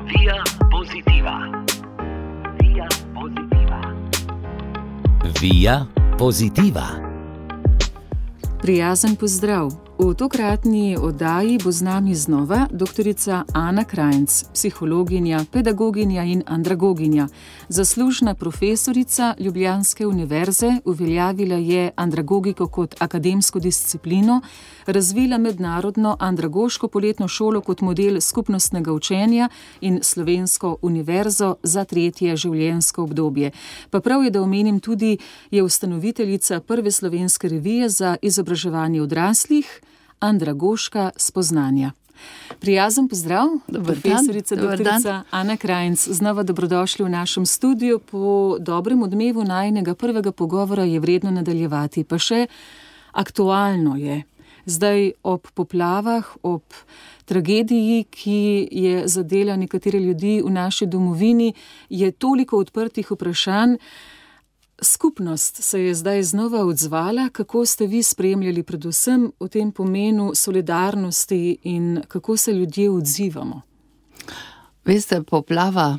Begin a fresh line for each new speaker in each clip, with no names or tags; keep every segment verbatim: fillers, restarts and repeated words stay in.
Via Positiva. Via Positiva.
Via Positiva.
Prijazen pozdrav. V tokratni oddaji bo z nami znova doktorica Ana Krajnc, psihologinja, pedagoginja in andragoginja. Zaslužna profesorica Ljubljanske univerze, uveljavila je andragogiko kot akademsko disciplino, razvila mednarodno andragoško poletno šolo kot model skupnostnega učenja in Slovensko univerzo za tretje življenjsko obdobje. Pa prav je, da omenim tudi, je ustanoviteljica prve slovenske revije za izobraževanje odraslih, Andragoška spoznanja. Prijazen pozdrav, profesorica doktorica Ana Krajnc. Znova dobrodošli v našem studiu. Po dobrem odmevu najinega prvega pogovora je vredno nadaljevati. Pa še aktualno je. Zdaj ob poplavah, ob tragediji, ki je zadela nekatere ljudi v naši domovini, je toliko odprtih vprašanj. Skupnost se je zdaj znova odzvala. Kako ste vi spremljali predvsem v tem pomenu solidarnosti in kako se ljudje odzivamo?
Veste, poplava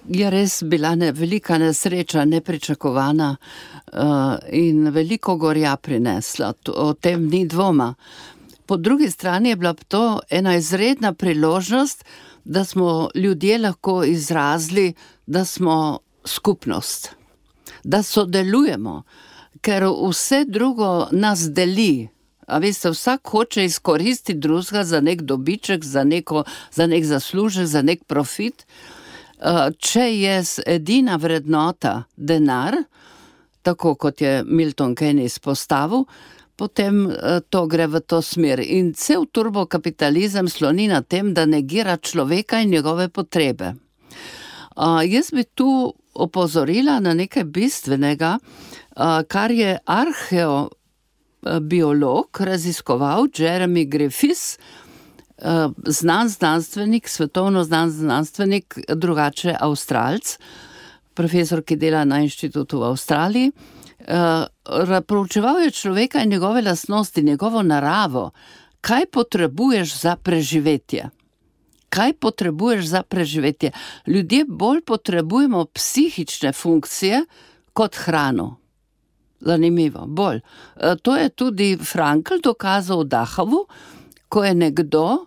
je res bila ne, velika nesreča, nepričakovana in veliko gorja prinesla. O tem ni dvoma. Po drugi strani je bila to ena izredna priložnost, da smo ljudje lahko izrazili, da smo skupnost. Da sodelujemo, ker vse drugo nas deli. A veste, vsak hoče izkoristiti drugega za nek dobiček, za, neko, za nek zaslužek, za nek profit. Če je edina vrednota denar, tako kot je Milton Keynes izpostavil, potem to gre v to smer. In cel turbokapitalizem sloni na tem, da negira človeka in njegove potrebe. Jaz bi tu opozorila na nekaj bistvenega, kar je arheobiolog raziskoval Jeremy Griffiths, znan znanstvenik, svetovno znan znanstvenik, drugače Avstralc, profesor, ki dela na inštitutu v Avstraliji. Proučeval je človeka in njegove lastnosti, njegovo naravo. Kaj potrebuješ za preživetje? Kaj potrebuješ za preživetje? Ljudje bolj potrebujemo psihične funkcije kot hrano. Zanimivo, bolj. To je tudi Frankl dokazal v Dachavu, ko je nekdo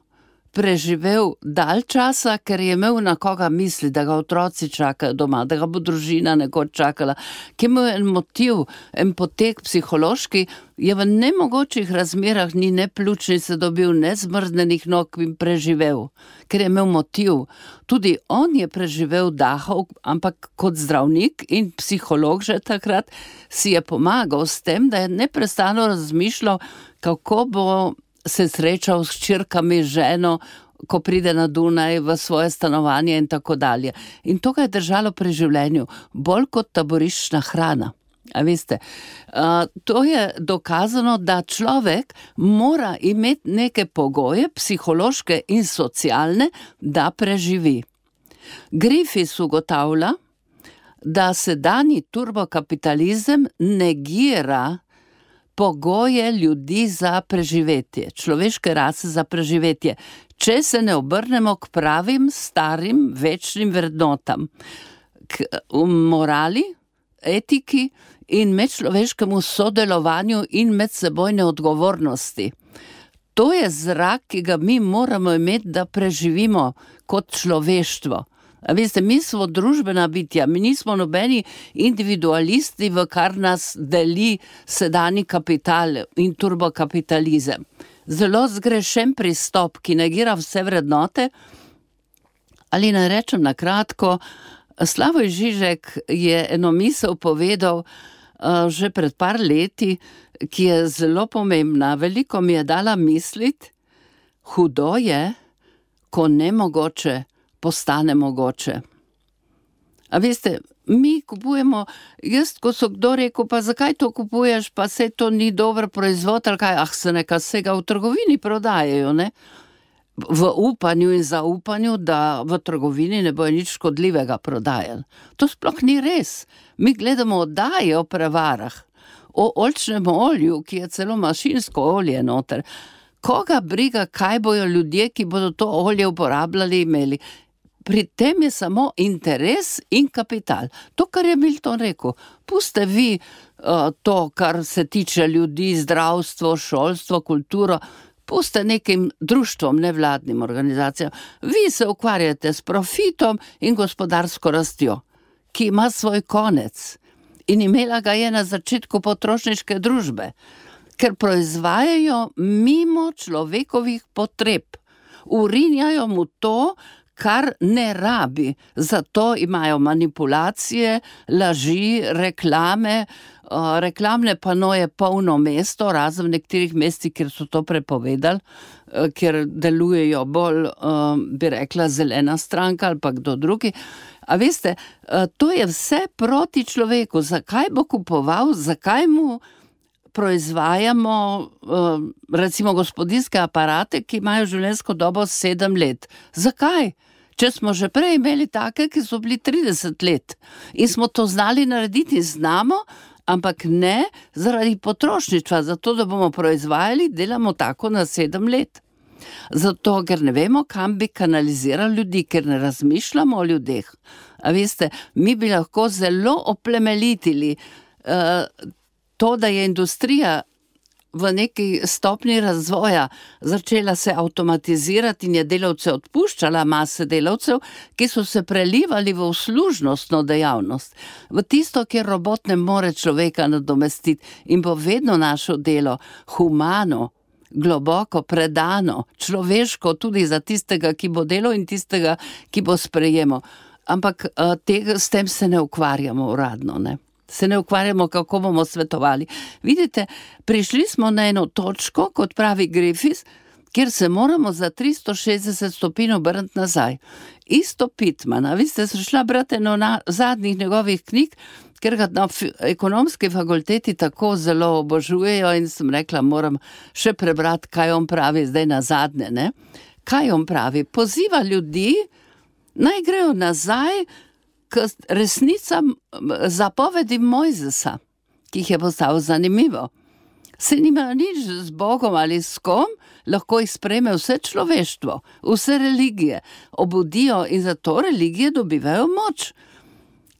preživel dalj časa, ker je imel na koga misli, da ga otroci čakajo doma, da ga bo družina nekoč čakala, ki ima en motiv, en potek psihološki, je v nemogočih razmerah ni ne pljučnice dobil, ne zmrznenih nog in preživel, ker je imel motiv. Tudi on je preživel Dachau, ampak kot zdravnik in psiholog že takrat si je pomagal s tem, da je neprestano razmišljal, kako bo se srečal s hčerkami, ženo, ko pride na Dunaj v svoje stanovanje in tako dalje. In to ga je držalo pri življenju, bolj kot taboriščna hrana. A veste, to je dokazano, da človek mora imeti neke pogoje, psihološke in socialne, da preživi. Griffiths ugotavlja, da sedanji turbokapitalizem negira pogoje ljudi za preživetje, človeške rase za preživetje, če se ne obrnemo k pravim, starim, večnim vrednotam, k morali, etiki in medčloveškemu sodelovanju in medsebojne odgovornosti. To je zrak, ki ga mi moramo imeti, da preživimo kot človeštvo. A veste, mi smo družbena bitja, mi nismo nobeni individualisti, v kar nas deli sedanji kapital in turbokapitalizem. Zelo zgrešen pristop, ki negira vse vrednote, ali naj rečem na kratko, Slavoj Žižek je eno misel povedal uh, že pred par leti, ki je zelo pomembna, veliko mi je dala misliti, hudo je, ko nemogoče postane mogoče. A veste, mi kupujemo, jaz, ko so kdo rekel, pa zakaj to kupuješ, pa se to ni dober proizvod, ali kaj, ah, se neka vsega v trgovini prodajajo, ne? V upanju in zaupanju, da v trgovini ne bojo nič škodljivega prodajali. To sploh ni res. Mi gledamo oddaje o prevarah, o oljčnem olju, ki je celo mašinsko olje noter. Koga briga, kaj bojo ljudje, ki bodo to olje uporabljali, imeli? pri tem je samo interes in kapital. To, kar je Milton rekel, puste vi uh, to, kar se tiče ljudi, zdravstvo, šolstvo, kulturo, puste nekim društvom, nevladnim organizacijam. Vi se ukvarjate s profitom in gospodarsko rastjo, ki ima svoj konec. In imela ga je na začetku potrošniške družbe, ker proizvajajo mimo človekovih potreb. Urinjajo mu to, kar ne rabi. Zato imajo manipulacije, laži, reklame, uh, reklamne panoje polno mesto, razen v nekaterih mestih, kjer so to prepovedali, uh, kjer delujejo bolj, uh, bi rekla, zelena stranka ali pa kdo drugi. A veste, uh, to je vse proti človeku. Zakaj bo kupoval, zakaj mu proizvajamo uh, recimo gospodinjske aparate, ki imajo življenjsko dobo sedem let. Zakaj? Če smo že prej imeli take, ki so bili trideset let in smo to znali narediti, znamo, ampak ne zaradi potrošništva, zato da bomo proizvajali, delamo tako na sedem let. Zato, ker ne vemo, kam bi kanalizirali ljudi, ker ne razmišljamo o ljudeh. A veste, mi bi lahko zelo oplemelitili uh, to, da je industrija v neki stopni razvoja začela se avtomatizirati in je delavce odpuščala, mase delavcev, ki so se prelivali v uslužnostno dejavnost, v tisto, kjer robot ne more človeka nadomestiti in bo vedno našo delo humano, globoko, predano, človeško tudi za tistega, ki bo delal in tistega, ki bo sprejemal. Ampak tega, s tem se ne ukvarjamo uradno, ne. Se ne ukvarjamo, kako bomo svetovali. Vidite, prišli smo na eno točko, kot pravi Griffith, kjer se moramo za tristo šestdeset stopinj obrniti nazaj. Isto Pittmana, vi ste se šla brati eno na zadnjih njegovih knjig, ker ga na ekonomski fakulteti tako zelo obožujejo in sem rekla, moram še prebrati, kaj on pravi zdaj na zadnje, ne? Kaj on pravi? Poziva ljudi, naj grejo nazaj k resnicam zapovedi Mojzesa, ki jih je postavil zanimivo. Se nima nič z Bogom ali s kom, lahko jih sprejme vse človeštvo, vse religije, obudijo in zato religije dobivajo moč.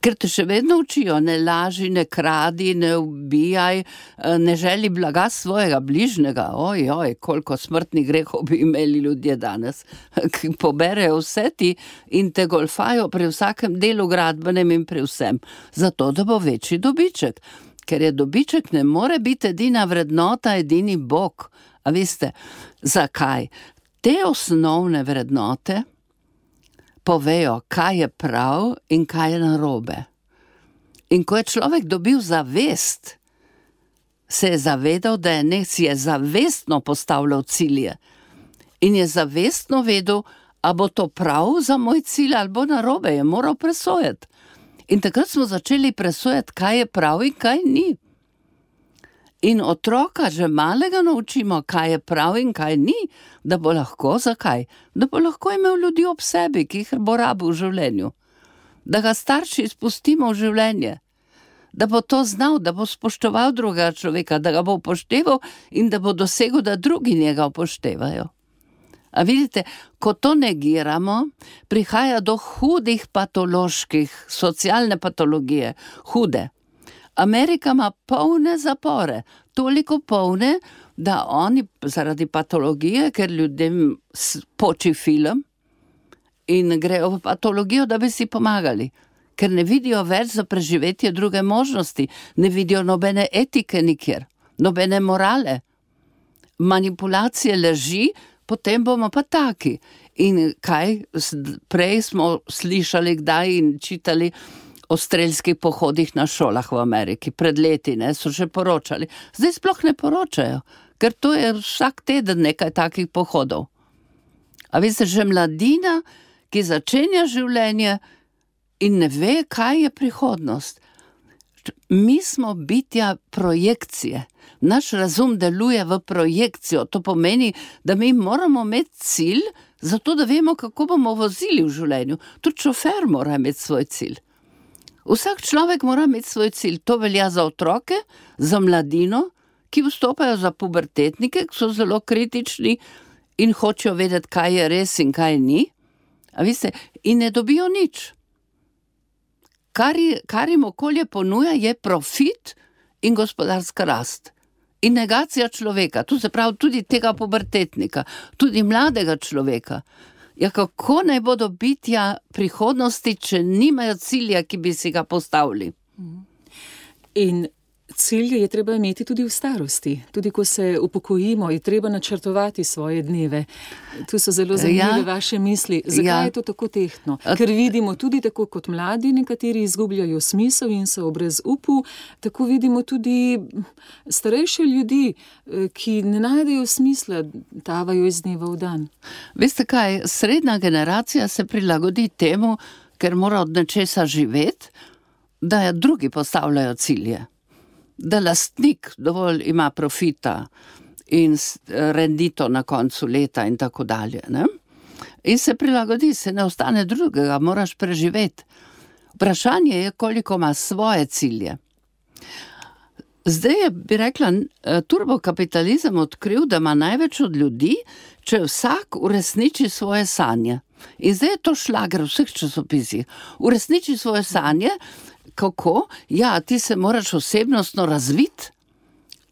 Ker te še vedno učijo, ne laži, ne kradi, ne ubijaj, ne želi blaga svojega bližnjega. Oj, oj, koliko smrtnih grehov bi imeli ljudje danes, ki poberejo vse ti in te golfajo pri vsakem delu gradbenem in pri vsem, zato da bo večji dobiček. Ker je dobiček ne more biti edina vrednota, edini Bog. A veste, zakaj? Te osnovne vrednote povejo, kaj je prav in kaj je narobe. In ko je človek dobil zavest, se je zavedal, da je nek si je zavestno postavljal cilje in je zavestno vedel, a bo to prav za moj cilj ali bo narobe, je moral presojati. In takrat smo začeli presojati, kaj je prav in kaj ni. In otroka že malega naučimo, kaj je prav in kaj ni, da bo lahko, zakaj? Da bo lahko imel ljudi ob sebi, ki jih bo rabil v življenju. Da ga starši spustimo v življenje. Da bo to znal, da bo spoštoval drugega človeka, da ga bo upošteval in da bo dosegel, da drugi njega upoštevajo. A vidite, ko to negiramo, prihaja do hudih patoloških, socialne patologije, hude. Amerika ima polne zapore, toliko polne, da oni zaradi patologije, ker ljudem poči film in grejo v patologijo, da bi si pomagali, ker ne vidijo več za preživetje druge možnosti, ne vidijo nobene etike nikjer, nobene morale, manipulacije, laži, potem bomo pa taki. In kaj, prej smo slišali kdaj in čitali o strelskih pohodih na šolah v Ameriki. Pred leti, ne, so že poročali. Zdaj sploh ne poročajo, ker to je vsak teden nekaj takih pohodov. A veste, že mladina, ki začenja življenje in ne ve, kaj je prihodnost. Mi smo bitja projekcije. Naš razum deluje v projekcijo. To pomeni, da mi moramo imeti cilj, zato da vemo, kako bomo vozili v življenju. Tudi šofer mora imeti svoj cilj. Vsak človek mora imeti svoj cilj. To velja za otroke, za mladino, ki vstopajo za pubertetnike, ki so zelo kritični in hočejo vedeti, kaj je res in kaj ni. A veste, in ne dobijo nič. Kar, je, kar jim okolje ponuja, je profit in gospodarska rast. In negacija človeka, tu se pravi tudi tega pubertetnika, tudi mladega človeka. Ja, kako naj bodo bitja prihodnosti, če nimajo cilja, ki bi si ga postavili?
In cilje je treba imeti tudi v starosti. Tudi ko se upokojimo, je treba načrtovati svoje dneve. Tu so zelo zanimive ja, vaše misli. Zakaj ja. je to tako tehtno? Ker vidimo tudi tako kot mladi, nekateri izgubljajo smisel in so brez upu, tako vidimo tudi starejše ljudi, ki ne najdejo smisla, tavajo iz dneva v dan.
Veste kaj, srednja generacija se prilagodi temu, ker mora od nečesa živeti, da drugi postavljajo cilje. Da lastnik dovolj ima profita in rendito na koncu leta in tako dalje. Ne? In se prilagodi, se ne ostane drugega, moraš preživeti. Vprašanje je, koliko ima svoje cilje. Zdaj je, bi rekla, turbokapitalizem odkril, da ima največ od ljudi, če vsak uresniči svoje sanje. In zdaj je to šlager v vseh časopisih. Uresniči svoje sanje. Kako? Ja, ti se moraš osebnostno razviti,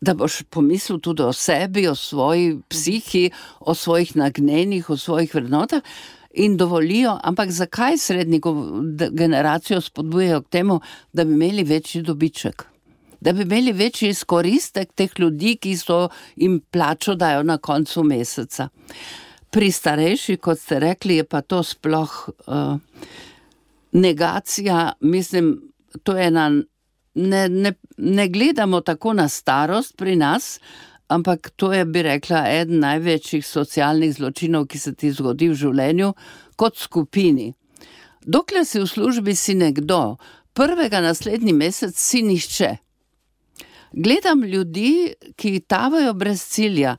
da boš pomislil tudi o sebi, o svoji psihi, o svojih nagnjenih, o svojih vrednotah in dovolijo, ampak zakaj srednjo generacijo spodbujajo k temu, da bi imeli večji dobiček? Da bi imeli večji izkoristek teh ljudi, ki so jim plačo dajo na koncu meseca. Pri starejših, kot ste rekli, je pa to sploh uh, negacija, mislim, to je ena, ne, ne, ne gledamo tako na starost pri nas, ampak to je, bi rekla, eden največjih socialnih zločinov, ki se ti zgodi v življenju, kot skupini. Dokler si v službi, si nekdo, prvega naslednji mesec si nihče. Gledam ljudi, ki tavajo brez cilja,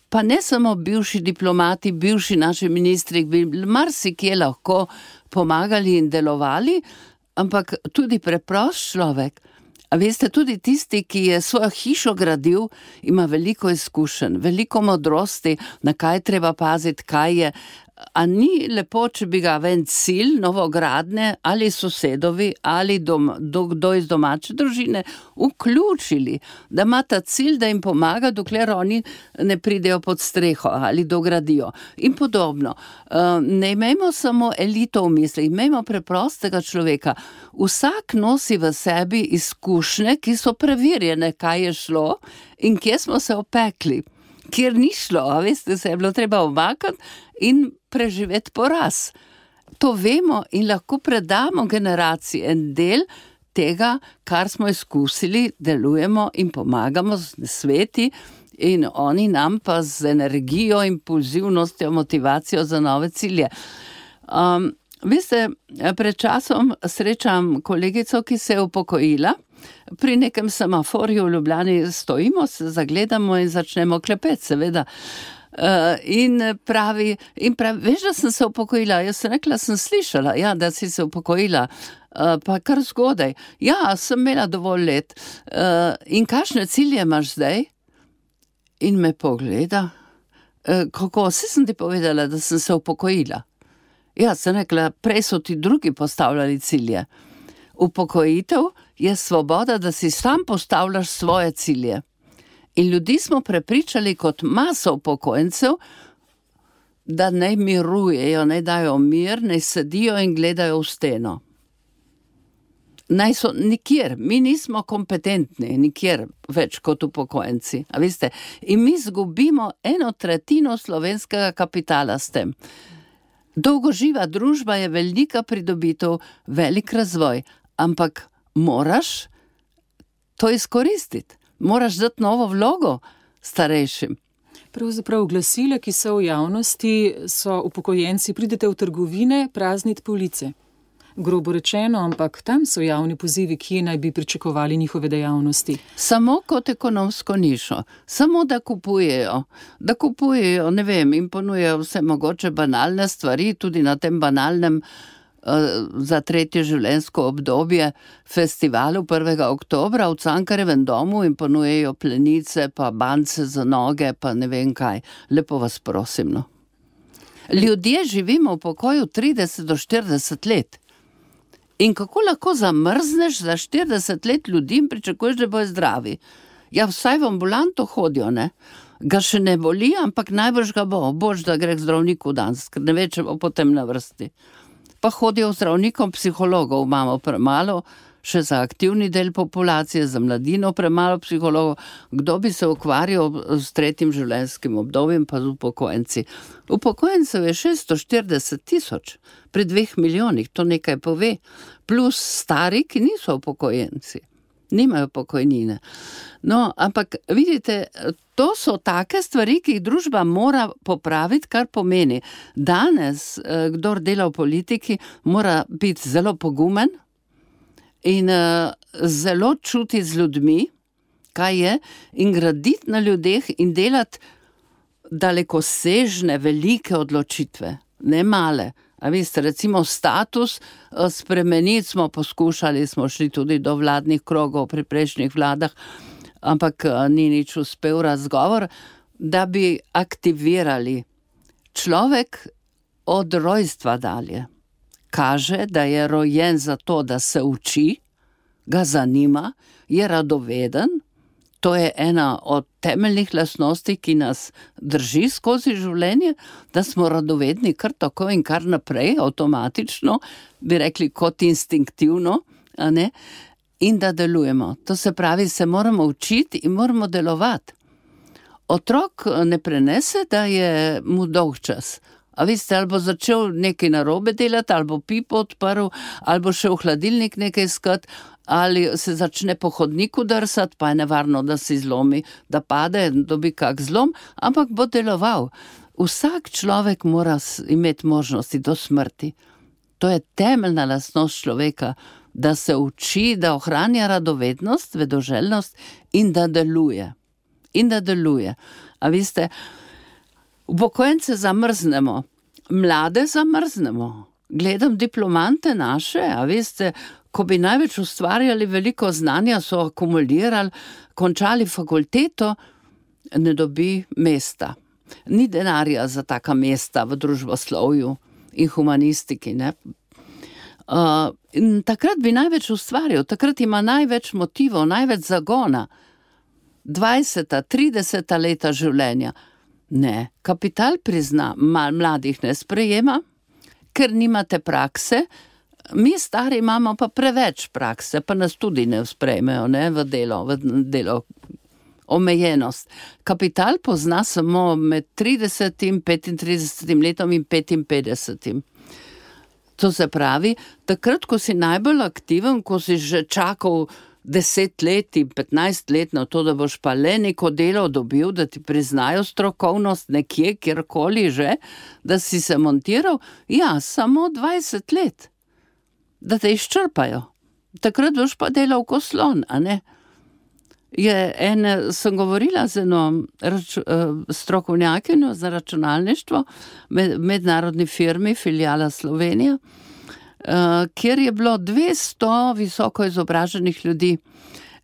pa ne samo bivši diplomati, bivši naši ministri, bi marsikje lahko pomagali in delovali, ampak tudi preprost človek. A veste, tudi tisti, ki je svojo hišo gradil, ima veliko izkušenj, veliko modrosti, na kaj treba paziti, kaj je. A ni lepo, če bi ga ven cilj novogradne ali sosedovi ali dom, do, kdo iz domače družine vključili, da ima ta cilj, da jim pomaga, dokler oni ne pridejo pod streho ali dogradijo. In podobno. Ne imejmo samo elito v misli, imejmo preprostega človeka. Vsak nosi v sebi izkušnje, ki so preverjene, kaj je šlo in kje smo se opekli. Kjer ni šlo, a veste, se je bilo treba omakati in preživeti poraz. To vemo in lahko predamo generaciji en del tega, kar smo izkusili, delujemo in pomagamo z sveti in oni nam pa z energijo, impulzivnostjo, motivacijo za nove cilje. Um, veste, pred časom srečam kolegico, ki se je upokojila. Pri nekem semaforju v Ljubljani stojimo, se zagledamo in začnemo klepeti, seveda. Uh, in pravi, in pravi, veš, da sem se upokojila? Jaz sem rekla, sem slišala, ja, da si se upokojila, uh, pa kar zgodaj. Ja, sem imela dovolj let. Uh, in kakšne cilje imaš zdaj? In me pogleda. Uh, kako? Vse sem ti povedala, da sem se upokojila. Ja, sem rekla, prej so ti drugi postavljali cilje. Upokojitev je svoboda, da si sam postavljaš svoje cilje. In ljudi smo prepričali kot maso upokojencev, da naj mirujejo, naj dajo mir, naj sedijo in gledajo v steno. Naj so nikjer, mi nismo kompetentni, nikjer več kot upokojenci. A veste, in mi zgubimo eno tretjino slovenskega kapitala s tem. Dolgoživa družba je velika pridobitev, velik razvoj, ampak moraš to izkoristiti. Moraš dati novo vlogo starejšim.
Pravzaprav glasila, ki so v javnosti, so upokojenci, pridete v trgovine, prazniti police. Grobo rečeno, ampak tam so javni pozivi, kje naj bi pričakovali njihove dejavnosti.
Samo kot ekonomsko nišo. Samo da kupujejo. Da kupujejo, ne vem, in ponujejo vse mogoče banalne stvari, tudi na tem banalnem za tretje življenjsko obdobje festivalu prvega oktobra v Cankarjevem domu in ponujejo plenice, pa bance za noge, pa ne vem kaj. Lepo vas prosim, no. Ljudje živimo v pokoju trideset do štirideset let. In kako lahko zamrzneš za štirideset let ljudi in pričakuješ, da bojo zdravi? Ja, vsaj v ambulanto hodijo, ne? Ga še ne boli, ampak najbrž ga bo. Bož, da gre k zdravniku danes, ker ne ve, če bo potem na vrsti. Pa hodijo zdravnikom, psihologov imamo premalo, še za aktivni del populacije, za mladino premalo psihologov. Kdo bi se ukvarjal s tretjim življenjskim obdobjem, pa z upokojenci? Upokojencev je šeststo štirideset tisoč, pri dveh milijonih, to nekaj pove, plus stari, ki niso upokojenci, nimajo pokojnine. No, ampak vidite, to so take stvari, ki jih družba mora popraviti, kar pomeni. Danes, kdor dela v politiki, mora biti zelo pogumen, in uh, zelo čuti z ljudmi, kaj je, in graditi na ljudeh in delati dalekosežne, velike odločitve, ne male. A veste, recimo status uh, spremeniti smo poskušali, smo šli tudi do vladnih krogov pri prejšnjih vladah, ampak uh, ni nič uspel razgovor, da bi aktivirali človek od rojstva dalje. Kaže, da je rojen za to, da se uči, ga zanima, je radoveden. To je ena od temeljnih lastnosti, ki nas drži skozi življenje, da smo radovedni kar tako in kar naprej, avtomatično, bi rekli kot instinktivno, a ne? In da delujemo. To se pravi, se moramo učiti in moramo delovati. Otrok ne prenese, da je mu dolg čas. A veste, ali bo začel nekaj narobe delati, ali bo pipo odprl, ali bo šel v hladilnik nekaj iskat, ali se začne po hodniku drsati, pa je nevarno, da si zlomi, da pade, dobi kak zlom, ampak bo deloval. Vsak človek mora imeti možnosti do smrti. To je temeljna lastnost človeka, da se uči, da ohranja radovednost, vedoželjnost in da deluje. In da deluje. A veste, upokojence zamrznemo, mlade zamrznemo. Gledam diplomante naše, a veste, ko bi največ ustvarjali, veliko znanja so akumulirali, končali fakulteto, ne dobi mesta. Ni denarja za taka mesta v družboslovju in humanistiki, ne. Uh, in takrat bi največ ustvarjal, takrat ima največ motivov, največ zagona. dvajseta, trideseta leta življenja. Ne, kapital prizna, mladih ne sprejema, ker nimate prakse, mi stari imamo pa preveč prakse, pa nas tudi ne sprejmejo, ne, v delo, v delo, omejenost. Kapital pozna samo med tridesetim, petintridesetim letom in petinpetdesetim. To se pravi, takrat, ko si najbolj aktiven, ko si že čakal deset let in petnajst let na to, da boš pa le neko delo dobil, da ti priznajo strokovnost nekje, kjerkoli že, da si se montiral, ja, samo dvajset let, da te izčrpajo. Takrat boš pa delal ko slon, a ne? Je en, sem govorila z eno rač, strokovnjakinjo za računalništvo, med, mednarodni firmi, filijala Slovenija, Uh, kjer je bilo dvesto visoko izobraženih ljudi.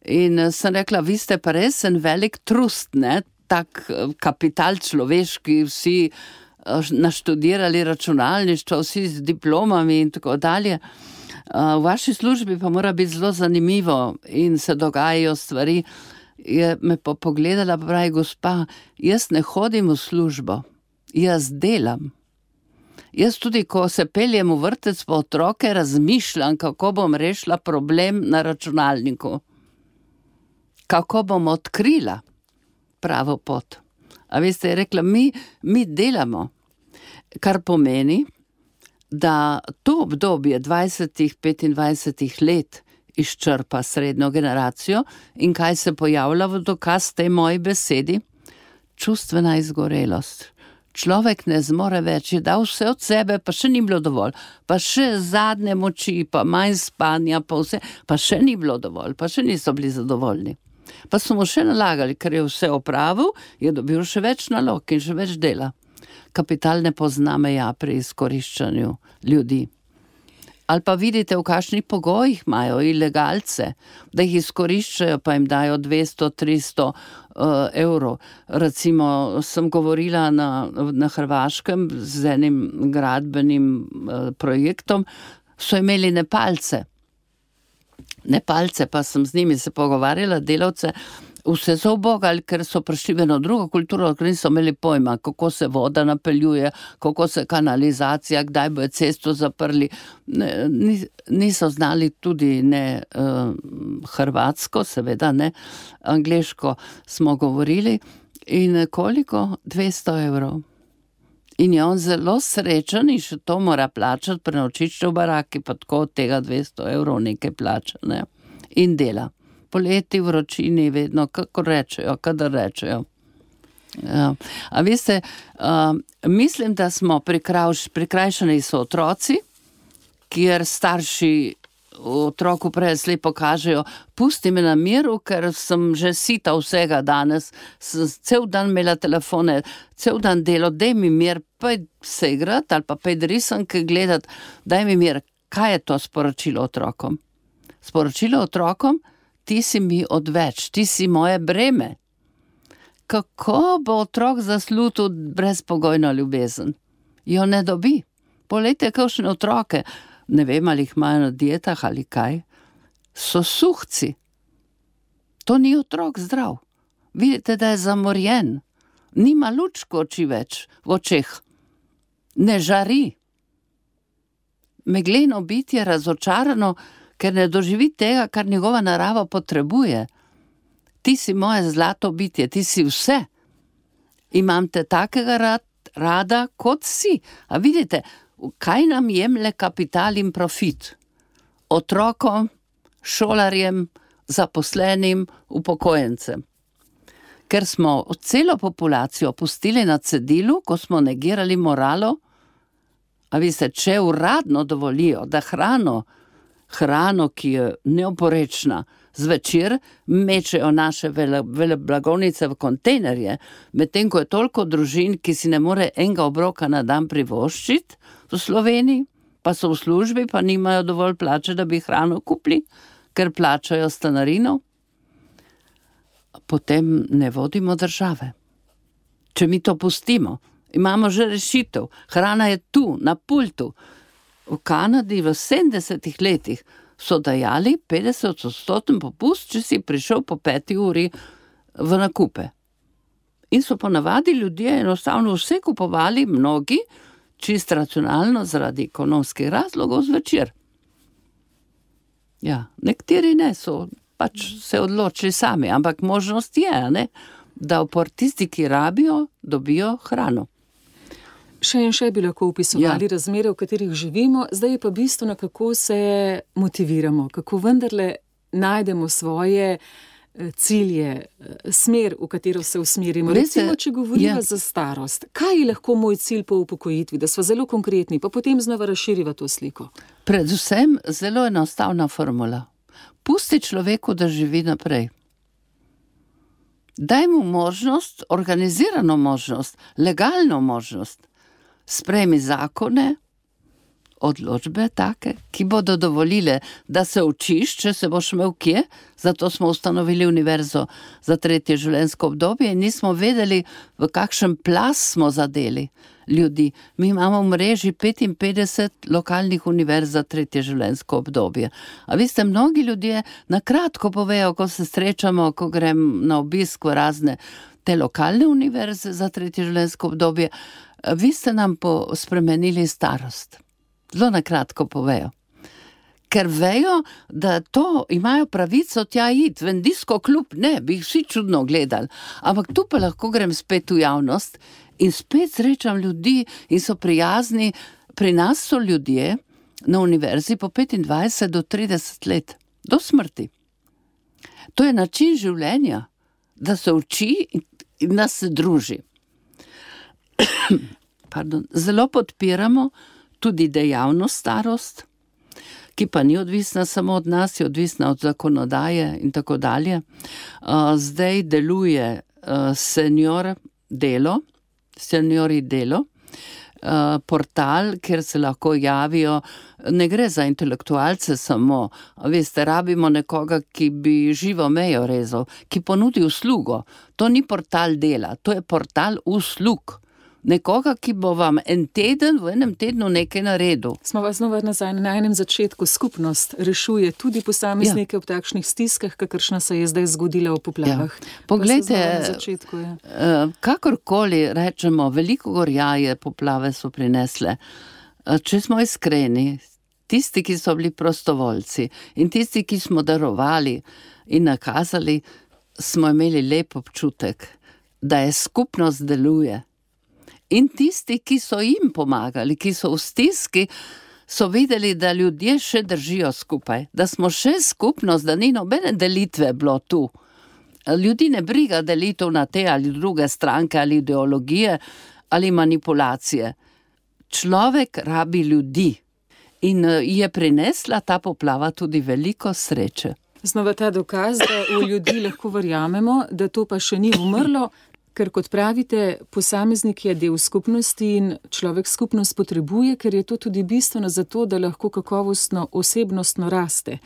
In sem rekla, vi ste pa res en velik trust, ne, tak kapital človeški, vsi uh, naštudirali računalništvo, vsi z diplomami in tako dalje. Uh, v vaši službi pa mora biti zelo zanimivo in se dogajajo stvari. Je me pa pogledala, pravi, gospa, jaz ne hodim v službo, jaz delam. Jaz tudi, ko se peljem v vrtec po otroke, razmišljam, kako bom rešila problem na računalniku. Kako bom odkrila pravo pot. A veste, je rekla, mi, mi delamo, kar pomeni, da to obdobje dvajsetih, petindvajsetih let izčrpa srednjo generacijo in kaj se pojavlja v dokaz tej moji besedi? Čustvena izgorelost. Človek ne zmore več, je dal vse od sebe, pa še ni bilo dovolj, pa še zadnje moči, pa manj spanja, pa vse, pa še ni bilo dovolj, pa še niso bili zadovoljni. Pa so mu še nalagali, ker je vse opravil, je dobil še več nalog in še več dela. Kapital ne pozna meja pri izkoriščanju ljudi. Ali pa vidite, v kakšnih pogojih imajo ilegalce, da jih izkoriščajo, pa jim dajo dvesto, tristo uh, evrov. Recimo, sem govorila na, na Hrvaškem z enim gradbenim uh, projektom, so imeli Nepalce. Nepalce, pa sem z njimi se pogovarjala, delavce, vse so obogali, ker so prišli v eno drugo kulturo, ker niso imeli pojma, kako se voda napeljuje, kako se kanalizacija, kdaj bojo cesto zaprli. Niso znali tudi ne uh, hrvatsko, seveda ne, angleško smo govorili. In koliko? dvesto evrov. In je on zelo srečen in še to mora plačati, prenočišče v baraki, pa tako od tega dvesto evrov nekaj plača, ne? In dela. Poleti vročini vedno, kako rečejo, kadar rečejo. Ja. A veste, uh, mislim, da smo prikrajš, prikrajšani so otroci, kjer starši otroku prej slepo kažejo, pusti me na miru, ker sem že sita vsega danes, sem cel dan imela telefone, cel dan delo, daj mi mir, pej se igrati ali pa pej risanke gledati, daj mi mir. Kaj je to sporočilo otrokom? Sporočilo otrokom, ti si mi odveč, ti si moje breme. Kako bo otrok zaslutil brezpogojno ljubezen? Jo ne dobi. Poglejte, kakšne otroke, ne vem, ali jih imajo na dietah ali kaj, so suhci. To ni otrok zdrav. Vidite, da je zamorjen. Nima lučko oči več v očeh. Ne žari. Megleno bitje razočarano, ker ne doživi tega, kar njegova narava potrebuje. Ti si moje zlato bitje, ti si vse. Imam te takega rad, rada, kot si. A vidite, kaj nam jemlje kapital in profit? Otrokom, šolarjem, zaposlenim, upokojencem. Ker smo celo populacijo pustili na cedilu, ko smo negirali moralo, a veste, če uradno dovolijo, da hrano, hrano, ki je neoporečna, zvečer mečejo naše vele, vele blagovnice v kontejnerje, medtem ko je toliko družin, ki si ne more enega obroka na dan privoščiti v Sloveniji, pa so v službi, pa nimajo dovolj plače, da bi hrano kupili, ker plačajo stanarino, potem ne vodimo države. Če mi to pustimo, imamo že rešitev, hrana je tu, na pultu. V Kanadi v sedemdesetih letih so dajali petdeset odstoten popust, če si prišel po peti uri v nakupe. In so ponavadi ljudje enostavno vse kupovali, mnogi, čist racionalno zaradi ekonomskih razlogov zvečer. Ja, nekateri ne, so pač se odločili sami, ampak možnost je, ne, da tisti, ki rabijo, dobijo hrano.
Še in še bi lahko upisovali ja. razmere, v katerih živimo, zdaj je pa bistveno, kako se motiviramo, kako vendarle najdemo svoje cilje, smer, v katero se usmerimo.
Veste,
recimo, če govorimo
ja.
za starost, kaj je lahko moj cilj po upokojitvi, da smo zelo konkretni, pa potem znova razširiva to sliko?
Predvsem zelo enostavna formula. Pusti človeku, da živi naprej. Daj mu možnost, organizirano možnost, legalno možnost. Sprejmi zakone, odločbe take, ki bodo dovolile, da se učiš, če se boš imel kje, zato smo ustanovili univerzo za tretje življenjsko obdobje in nismo vedeli, v kakšen plas smo zadeli ljudi. Mi imamo v mreži petinpetdeset lokalnih univerz za tretje življenjsko obdobje. A veste, mnogi ljudje na kratko povejo, ko se srečamo, ko grem na obisk v razne te lokalne univerze za tretje življenjsko obdobje, vi ste nam spremenili starost. Zelo na kratko povejo. Ker vejo, da to imajo pravico tja iti, v disko klub, ne, bi jih vsi čudno gledali. Ampak tu pa lahko grem spet v javnost in spet srečam ljudi in so prijazni. Pri nas so ljudje na univerzi po petindvajset do trideset let, do smrti. To je način življenja, da se uči in da se druži. Pardon. Zelo podpiramo tudi dejavno starost, ki pa ni odvisna samo od nas, je odvisna od zakonodaje in tako dalje. Zdaj deluje senior delo, seniori delo, uh, portal, kjer se lahko javijo. Ne gre za intelektualce samo, veste, rabimo nekoga, ki bi živo mejo rezal, ki ponudi uslugo. To ni portal dela, to je portal uslug. Nekoga, ki bo vam en teden, v enem tednu nekaj naredil.
Smo vas znova nazaj na enem začetku. Skupnost rešuje tudi posameznike ja. v takšnih stiskah, kakršna se je zdaj zgodila v poplavah.
Ja. Poglejte,
začetku, ja.
kakorkoli rečemo, veliko gorjaje poplave so prinesle. Če smo iskreni, tisti, ki so bili prostovoljci in tisti, ki smo darovali in nakazali, smo imeli lep občutek, da je skupnost deluje. In tisti, ki so jim pomagali, ki so v stiski, so videli, da ljudje še držijo skupaj, da smo še skupnost, da ni nobene delitve bilo tu. Ljudi ne briga delitev na te ali druge stranke ali ideologije ali manipulacije. Človek rabi ljudi in je prinesla ta poplava tudi veliko sreče.
Znova ta dokaz, da v ljudi lahko verjamemo, da to pa še ni umrlo, ker kot pravite, posameznik je del skupnosti in človek skupnost potrebuje, ker je to tudi bistveno za to, da lahko kakovostno, osebnostno raste.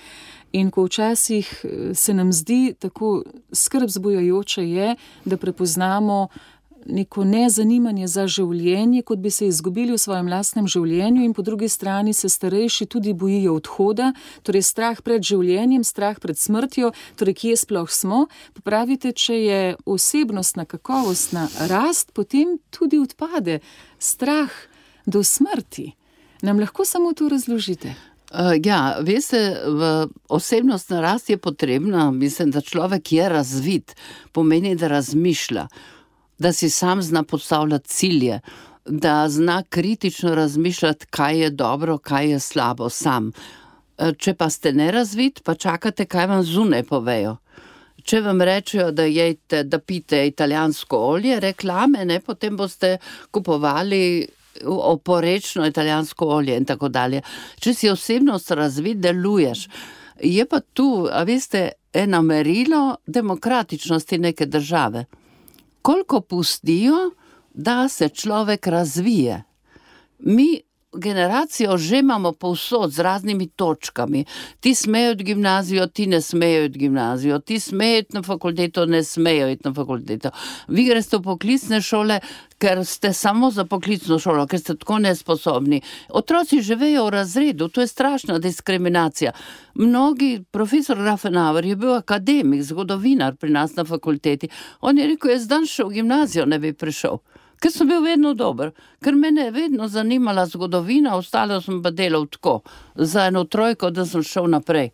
In ko včasih se nam zdi tako skrb zbujajoče je, da prepoznamo neko nezanimanje za življenje, kot bi se izgubili v svojem lastnem življenju in po drugi strani se starejši tudi bojijo odhoda, torej strah pred življenjem, strah pred smrtjo, torej kje sploh smo. Popravite, če je osebnostna, kakovostna rast, potem tudi odpade strah do smrti. Nam lahko samo to razložite?
Uh, ja, veste, v osebnostna rast je potrebna, mislim, da človek je razvit, pomeni, da razmišlja, da si sam zna postavljati cilje, da zna kritično razmišljati, kaj je dobro, kaj je slabo sam. Če pa ste nerazvit, pa čakate, kaj vam zunaj povejo. Če vam rečejo, da jejte, da pite italijansko olje, reklame, ne, potem boste kupovali oporečno italijansko olje in tako dalje. Če si osebnost razvit, deluješ. Je pa tu, a veste, eno merilo demokratičnosti neke države. Koliko pustijo, da se človek razvije. Mi generacijo že imamo povsod z raznimi točkami. Ti smejo iti v gimnazijo, ti ne smejo iti v gimnazijo, ti smejo iti na fakulteto, ne smejo iti na fakulteto. Vi greste v poklicne šole, ker ste samo za poklicno šolo, ker ste tako nesposobni. Otroci živejo v razredu, to je strašna diskriminacija. Mnogi, profesor Rafenauer je bil akademik, zgodovinar pri nas na fakulteti. On je rekel, jaz dan šel v gimnazijo, ne bi prišel. Ker sem bil vedno dober, ker mene je vedno zanimala zgodovina, ostalo sem pa delal tako, za eno trojko, da sem šel naprej.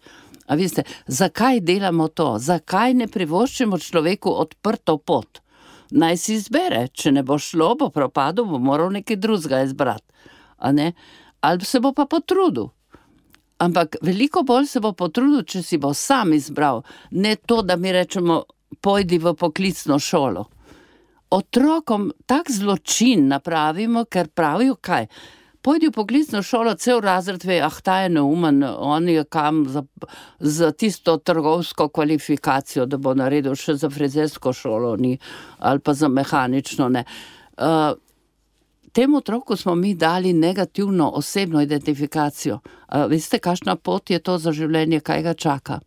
A veste, zakaj delamo to? Zakaj ne privoščimo človeku odprto pot? Naj si izbere, če ne bo šlo, bo propadel, bo moral nekaj drugega izbrati. A ne? Ali se bo pa potrudil. Ampak veliko bolj se bo potrudil, če si bo sam izbral, ne to, da mi rečemo, pojdi v poklicno šolo. Otrokom tak zločin napravimo, ker pravijo kaj? Pojdi v poklicno šolo, cel razred ve, ah, ta je neumen, on je kam za, za tisto trgovsko kvalifikacijo, da bo naredil še za frizersko šolo, ni, ali pa za mehanično, ne. Uh, temu otroku smo mi dali negativno osebno identifikacijo. Uh, veste, kakšna pot je to za življenje, kaj ga čaka?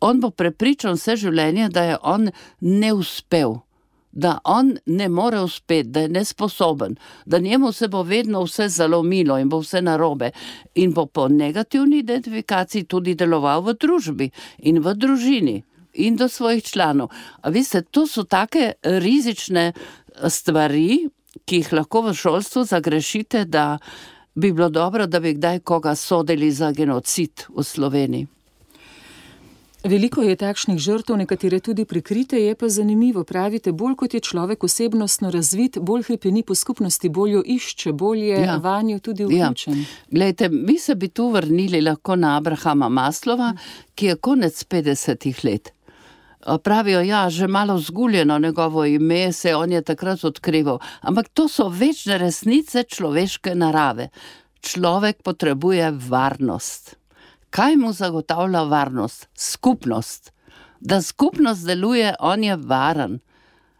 On bo prepričan vse življenje, da je on neuspel. Da on ne more uspeti, da je nesposoben, da njemu se bo vedno vse zalomilo in bo vse narobe in bo po negativni identifikaciji tudi deloval v družbi in v družini in do svojih članov. A veste, to so take rizične stvari, ki jih lahko v šolstvu zagrešite, da bi bilo dobro, da bi kdaj koga sodili za genocid v Sloveniji.
Veliko je takšnih žrtev, nekatere tudi prikrite, je pa zanimivo, pravite, bolj kot je človek osebnostno razvit, bolj hrepeni po skupnosti, bolj jo išče, bolj je ja. vanjo tudi vključen. Ja.
Glejte, mi se bi tu vrnili lahko na Abrahama Maslova, ki je konec petdesetih let. Pravijo, ja, že malo zguljeno njegovo ime, se on je takrat odkrival, ampak to so večne resnice človeške narave. Človek potrebuje varnost. Kaj mu zagotavlja varnost? Skupnost. Da skupnost deluje, on je varen.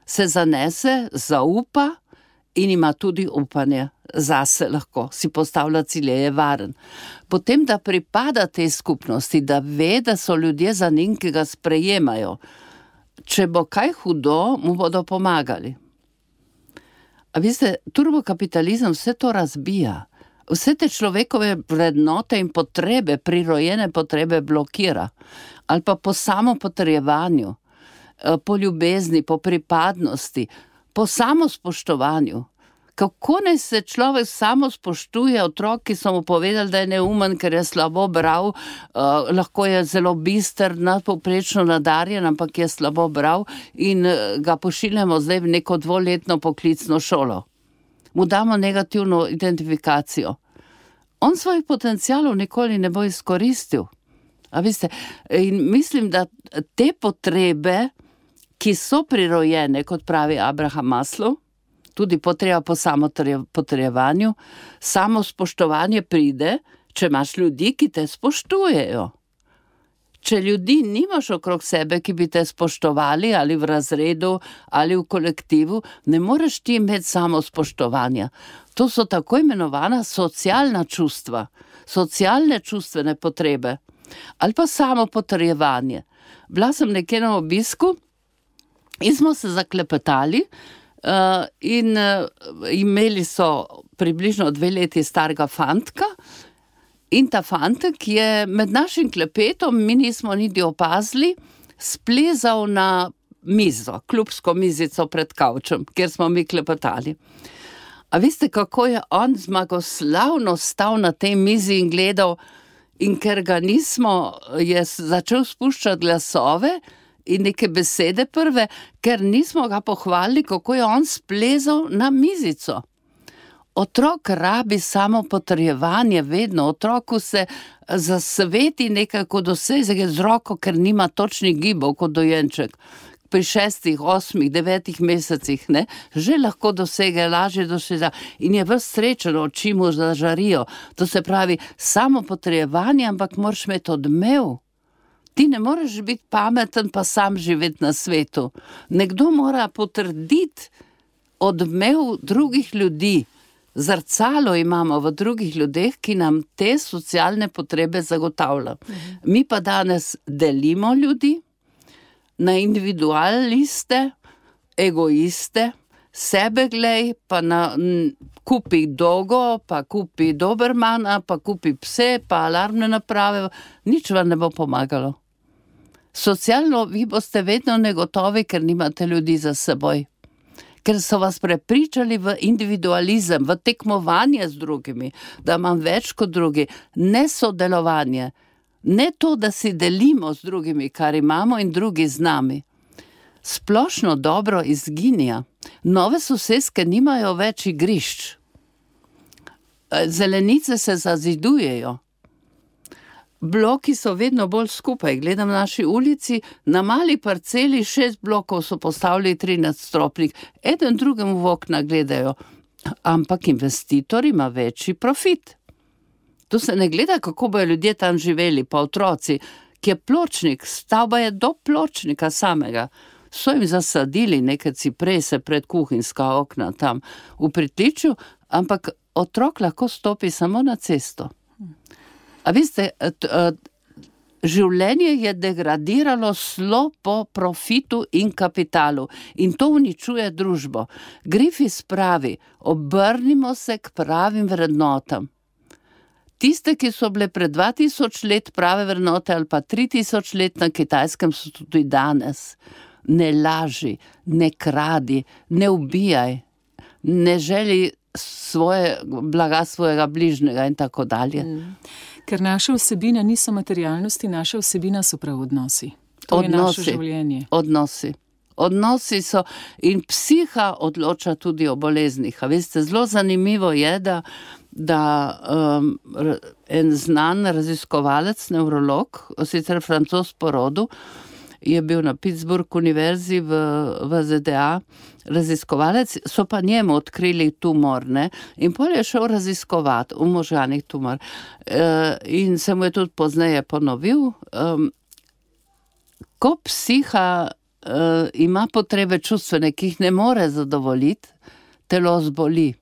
Se zanese, zaupa in ima tudi upanje. zase lahko, si postavlja cilje, je varen. Potem, da pripada tej skupnosti, da ve, da so ljudje za njim, ki ga sprejemajo. Če bo kaj hudo, mu bodo pomagali. A veste, turbokapitalizem vse to razbija. Vse te človekove vrednote in potrebe, prirojene potrebe blokira. Ali pa po samopotrjevanju, po ljubezni, po pripadnosti, po samospoštovanju. Kako naj se človek samo spoštuje, otrok, ki so mu povedali, da je neumen, ker je slabo bral, uh, lahko je zelo bister, nadpovprečno nadarjen, ampak je slabo bral in uh, ga pošiljamo zdaj v neko dvoletno poklicno šolo. Mu damo negativno identifikacijo. On svojih potencialov nikoli ne bo izkoristil. A veste, in mislim, da te potrebe, ki so prirojene, kot pravi Abraham Maslow, tudi potreba po samopotrjevanju, samo spoštovanje pride, če imaš ljudi, ki te spoštujejo. Če ljudi nimaš okrog sebe, ki bi te spoštovali, ali v razredu, ali v kolektivu, ne moreš ti imeti samo spoštovanja. To so tako imenovana socialna čustva, socialne čustvene potrebe, ali pa samo potrjevanje. Bila sem nekje na obisku in smo se zaklepetali, Uh, in uh, imeli so približno dve leti starega fantka in ta fantek je med našim klepetom, mi nismo niti opazili, splezal na mizo, klubsko mizico pred kavčem, kjer smo mi klepetali. A veste, kako je on zmagoslavno stal na tej mizi in gledal, in ker ga nismo, je začel spuščati glasove in neke besede prve, ker nismo ga pohvalili, kako je on splezal na mizico. Otrok rabi samo potrjevanje vedno, otroku se zasveti nekako doseže z roko, ker nima točnih gibov kot dojenček. Pri šestih, osmih, devetih mesecih, ne, že lahko dosege, lažje dosega in je ves srečen, oči mu zažarijo. To se pravi, samo potrjevanje, ampak moraš imeti odmev. Ti ne moreš biti pameten, pa sam živeti na svetu. Nekdo mora potrditi odmev drugih ljudi. Zrcalo imamo v drugih ljudeh, ki nam te socialne potrebe zagotavlja. Mi pa danes delimo ljudi na individualiste, egoiste, sebe glej, pa na, m, kupi dogo, pa kupi dobermana, pa kupi pse, pa alarmne naprave, nič vam ne bo pomagalo. Socialno vi boste vedno negotovi, ker nimate ljudi za seboj. Ker so vas prepričali v individualizem, v tekmovanje z drugimi, da imam več kot drugi, ne sodelovanje, ne to, da si delimo z drugimi, kar imamo in drugi z nami. Splošno dobro izginja. Nove soseske nimajo več igrišč. Zelenice se zazidujejo. Bloki so vedno bolj skupaj. Gledam na naši ulici, na mali parceli šest blokov so postavili tri nadstropnik, eden drugemu v okna gledajo, ampak investitor ima večji profit. Tu se ne gleda, kako bojo ljudje tam živeli, pa otroci, ki je pločnik, stavba je do pločnika samega. So jim zasadili neke ciprese pred kuhinjska okna tam v pritličju, ampak otrok lahko stopi samo na cesto. A veste, življenje je degradiralo slo po profitu in kapitalu in to uničuje družbo. Griffiths pravi, obrnimo se k pravim vrednotam. Tiste, ki so bile pred dva tisoč let prave vrednote ali pa tri tisoč let na Kitajskem, so tudi danes. Ne laži, ne kradi, ne ubijaj, ne želi svoje, blaga svojega bližnjega in tako dalje. Mm.
Ker naša vsebina niso materialnosti, naša vsebina so prav odnosi. To odnosi, je naše življenje.
Odnosi. Odnosi so in psiha odloča tudi o boleznih. A veste, zelo zanimivo je, da, da um, en znan raziskovalec, nevrolog, sicer Francoz po rodu, je bil na Pittsburgh univerzi v, v Z D A, raziskovalec, so pa njemu odkrili tumor, ne, in pol je šel raziskovati v možganih tumor. E, in se mu je tudi pozneje ponovil. Um, ko psiha uh, ima potrebe čustvene, ki jih ne more zadovoljiti, telo zboli.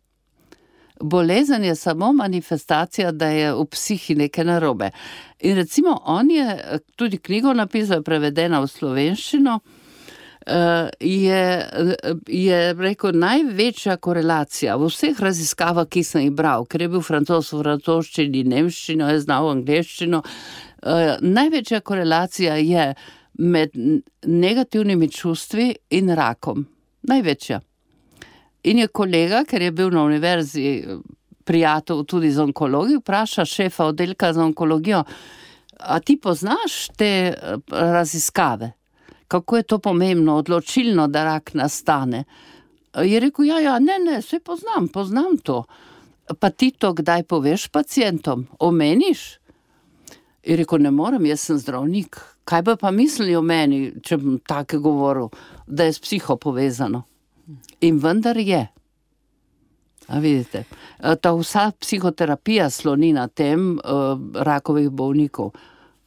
Bolezen je samo manifestacija, da je v psihi nekaj narobe. In recimo on je tudi knjigo napisal, prevedena v slovenščino, je, je rekel, največja korelacija v vseh raziskavah, ki sem jih bral, ker je bil Francoz v francoščini, nemščino, je znal angleščino, največja korelacija je med negativnimi čustvi in rakom. Največja. In je kolega, ker je bil na univerzi prijatelj tudi z onkologi, vpraša šefa oddelka za onkologijo, a ti poznaš te raziskave? Kako je to pomembno, odločilno, da rak nastane? Je rekel, ja, ja, ne, ne, vse poznam, poznam to. Pa ti to kdaj poveš pacientom? Omeniš? Je rekel, ne morem, jaz sem zdravnik. Kaj bi pa mislili o meni, če bom tako govoril, da je s psiho povezano? In vendar je. A vidite, ta vsa psihoterapija sloni na tem uh, rakovih bolnikov,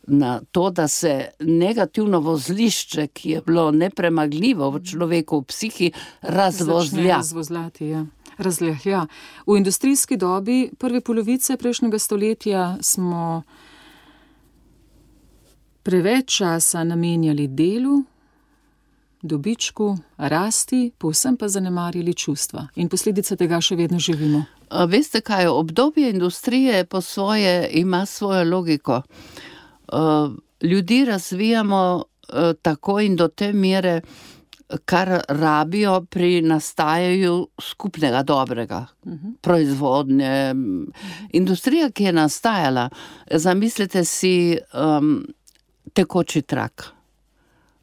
na to, da se negativno vozlišče, ki je bilo nepremagljivo v človeku, v psihi, razvozlja.
Razvozljati, ja. Razlehja. V industrijski dobi prve polovice prejšnjega stoletja smo preveč časa namenjali delu, dobičku, rasti, povsem pa zanemarjali čustva. In posledice tega še vedno živimo.
A veste kaj, obdobje industrije po svoje ima svojo logiko. Uh, ljudi razvijamo uh, tako in do te mere, kar rabijo pri nastajanju skupnega dobrega, uh-huh. proizvodnje. Industrija, ki je nastajala, zamislite si um, tekoči trak.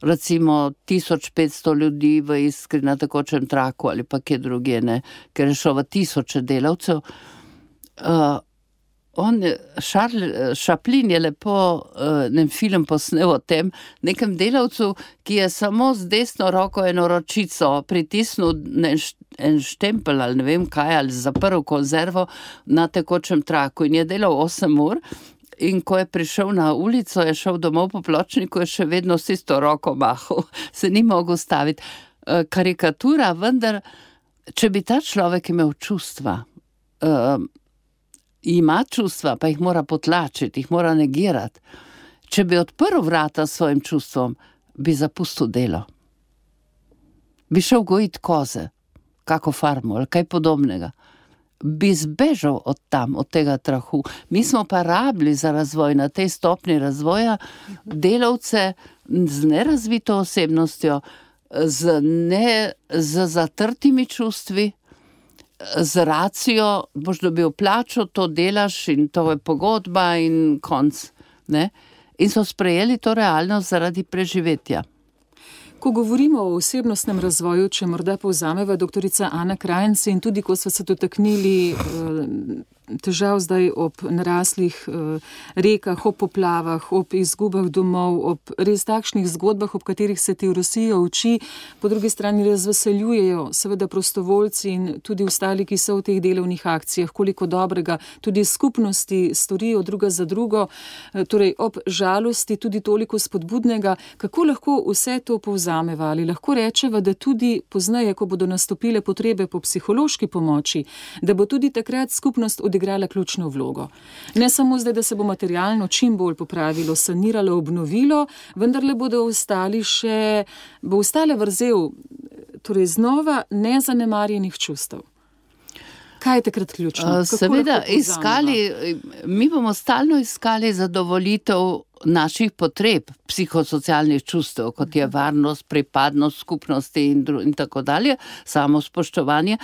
Recimo tisoč petsto ljudi v Iskri na tekočem traku ali pa kje drugje, ne, ker je šlo v tisoče delavcev. Uh, On, Charles Chaplin je lepo uh, nem film posnel o tem, nekem delavcu, ki je samo z desno roko eno ročico pritisnil en štempel ali ne vem kaj, ali zaprl konzervo na tekočem traku in je delal osem ur in ko je prišel na ulico, je šel domov po pločniku, je še vedno s isto roko mahal, se ni mogel staviti. Uh, karikatura, vendar, če bi ta človek imel čustva, uh, ima čustva, pa jih mora potlačiti, jih mora negirati. Če bi odprl vrata svojim čustvom, bi zapustil delo. Bi šel gojiti koze, kako farmo ali kaj podobnega. Bi zbežal od tam, od tega trahu. Mi smo pa rabili za razvoj na tej stopni razvoja delavce z nerazvito osebnostjo, z, ne, z zatrtimi čustvi, z racijo, boš dobil plačo, to delaš in to je pogodba in konc. Ne? In so sprejeli to realnost zaradi preživetja.
Ko govorimo o osebnostnem razvoju, če morda povzameva doktorica Ana Krajnc in tudi ko so se dotaknili težav zdaj ob naraslih rekah, ob poplavah, ob izgubah domov, ob res takšnih zgodbah, ob katerih se ti Rusija uči, po drugi strani razveseljujejo seveda prostovoljci in tudi ostali, ki so v teh delovnih akcijah, koliko dobrega tudi skupnosti storijo druga za drugo, torej ob žalosti tudi toliko spodbudnega. Kako lahko vse to povzameva? Ali lahko rečeva, da tudi pozneje, ko bodo nastopile potrebe po psihološki pomoči, da bo tudi takrat skupnost odigrala ključno vlogo. Ne samo zdaj, da se bo materialno čim bolj popravilo, saniralo, obnovilo, vendar le bodo ostali še, bo ostale vrzel, torej znova nezanemarjenih čustev. Kaj je takrat ključno? Kako
Seveda, iskali, mi bomo stalno iskali zadovoljitev naših potreb, psihosocialnih čustev, kot je varnost, pripadnost skupnosti in, dru, in tako dalje, samo spoštovanje.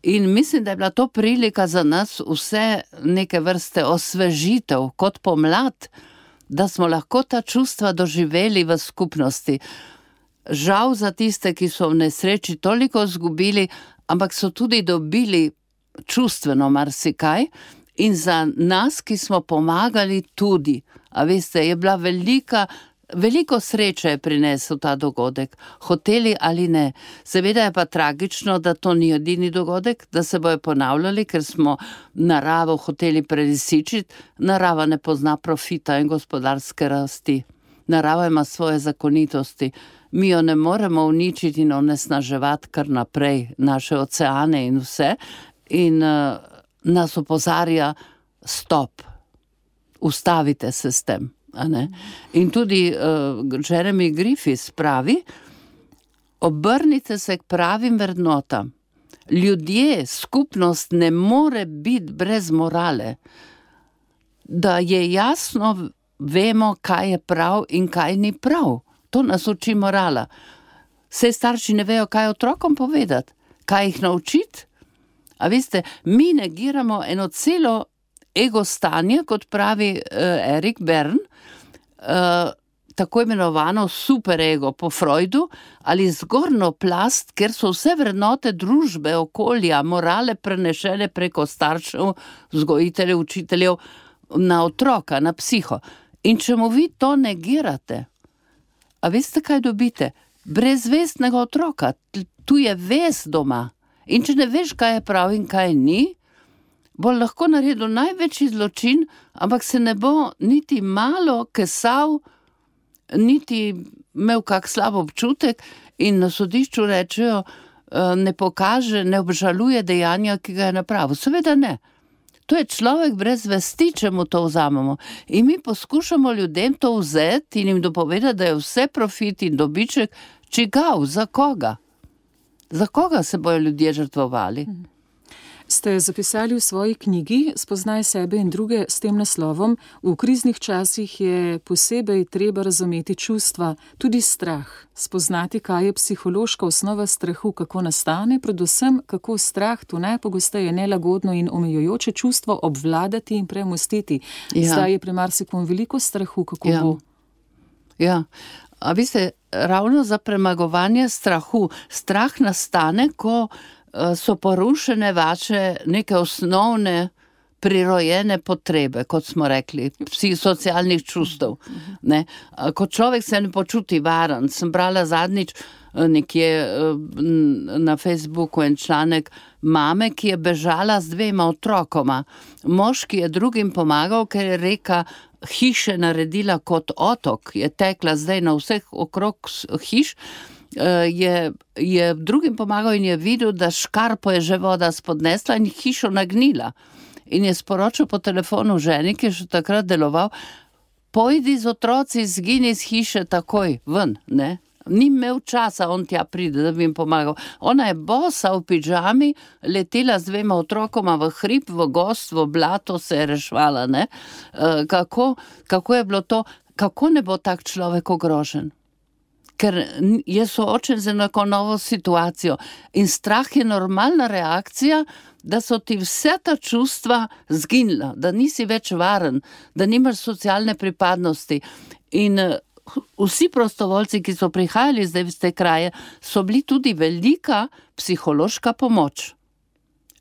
In mislim, da je bila to prilika za nas vse neke vrste osvežitev, kot pomlad, da smo lahko ta čustva doživeli v skupnosti. Žal za tiste, ki so v nesreči toliko izgubili, ampak so tudi dobili čustveno marsikaj in za nas, ki smo pomagali tudi. A veste, je bila velika, veliko sreče je prinesel ta dogodek, hoteli ali ne. Seveda je pa tragično, da to ni edini dogodek, da se bojo ponavljali, ker smo naravo hoteli prelisičiti. Narava ne pozna profita in gospodarske rasti. Narava ima svoje zakonitosti. Mi jo ne moremo uničiti in onesnaževati kar naprej, naše oceane in vse. In uh, nas opozarja stop, ustavite se s tem. A ne? In tudi uh, Jeremy Griffiths pravi, obrnite se k pravim vrednotam. Ljudje, skupnost ne more biti brez morale. Da je jasno, vemo, kaj je prav in kaj ni prav. To nas uči morala. Saj starši ne vejo, kaj otrokom povedati, kaj jih naučiti. A veste, mi negiramo eno celo ego stanje, kot pravi uh, Erik Bern, uh, tako imenovano superego po Freudu, ali zgornjo plast, ker so vse vrednote družbe, okolja, morale prenešene preko staršev, vzgojiteljev, učiteljev na otroka, na psiho. In če mu vi to negirate, a veste, kaj dobite? Brezvestnega otroka, tu je vest doma. In če ne veš, kaj je prav in kaj ni, bo lahko naredil največji zločin, ampak se ne bo niti malo kesal, niti imel kak slab občutek in na sodišču rečejo, ne pokaže, ne obžaluje dejanja, ki ga je napravil. Seveda ne. To je človek brez vesti, če mu to vzamemo. In mi poskušamo ljudem to vzeti in jim dopovedati, da je vse profit in dobiček čigav, za koga? Za koga se bojo ljudje žrtvovali?
Ste zapisali v svoji knjigi Spoznaj sebe in druge s tem naslovom: v kriznih časih je posebej treba razumeti čustva, tudi strah, spoznati, kaj je psihološka osnova strahu, kako nastane, predvsem kako strah, to najpogosteje nelagodno in omejujoče čustvo, obvladati in premostiti. Ja. Zdaj je pri marsikom veliko strahu, kako
ja.
bo.
Ja, a veste, ravno za premagovanje strahu. Strah nastane, ko so porušene vaše neke osnovne prirojene potrebe, kot smo rekli, psihosocialnih čustev. Ne? Ko človek se ne počuti varen, sem brala zadnjič nekje na Facebooku en članek mame, ki je bežala z dvema otrokoma. Moški je drugim pomagal, ker je reka hiše naredila kot otok, je tekla zdaj na vseh okrog hiš, je, je drugim pomagal in je videl, da škarpo je že voda spodnesla in hišo nagnila. In je sporočil po telefonu ženi, ki je še takrat deloval, pojdi z otroci, zgini z hiše takoj ven, ne? Ni imel časa, on tja pride, da bi jim pomagal. Ona je bosa v pidžami, letela z dvema otrokoma v hrib, v gost, v blato, se je rešvala, ne? Kako, kako je bilo to, kako ne bo tak človek ogrožen? Ker je soočen z enako novo situacijo in strah je normalna reakcija, da so ti vse ta čustva zginila, da nisi več varen, da nimaš socialne pripadnosti. In vsi prostovoljci, ki so prihajali zdaj v te kraje, so bili tudi velika psihološka pomoč.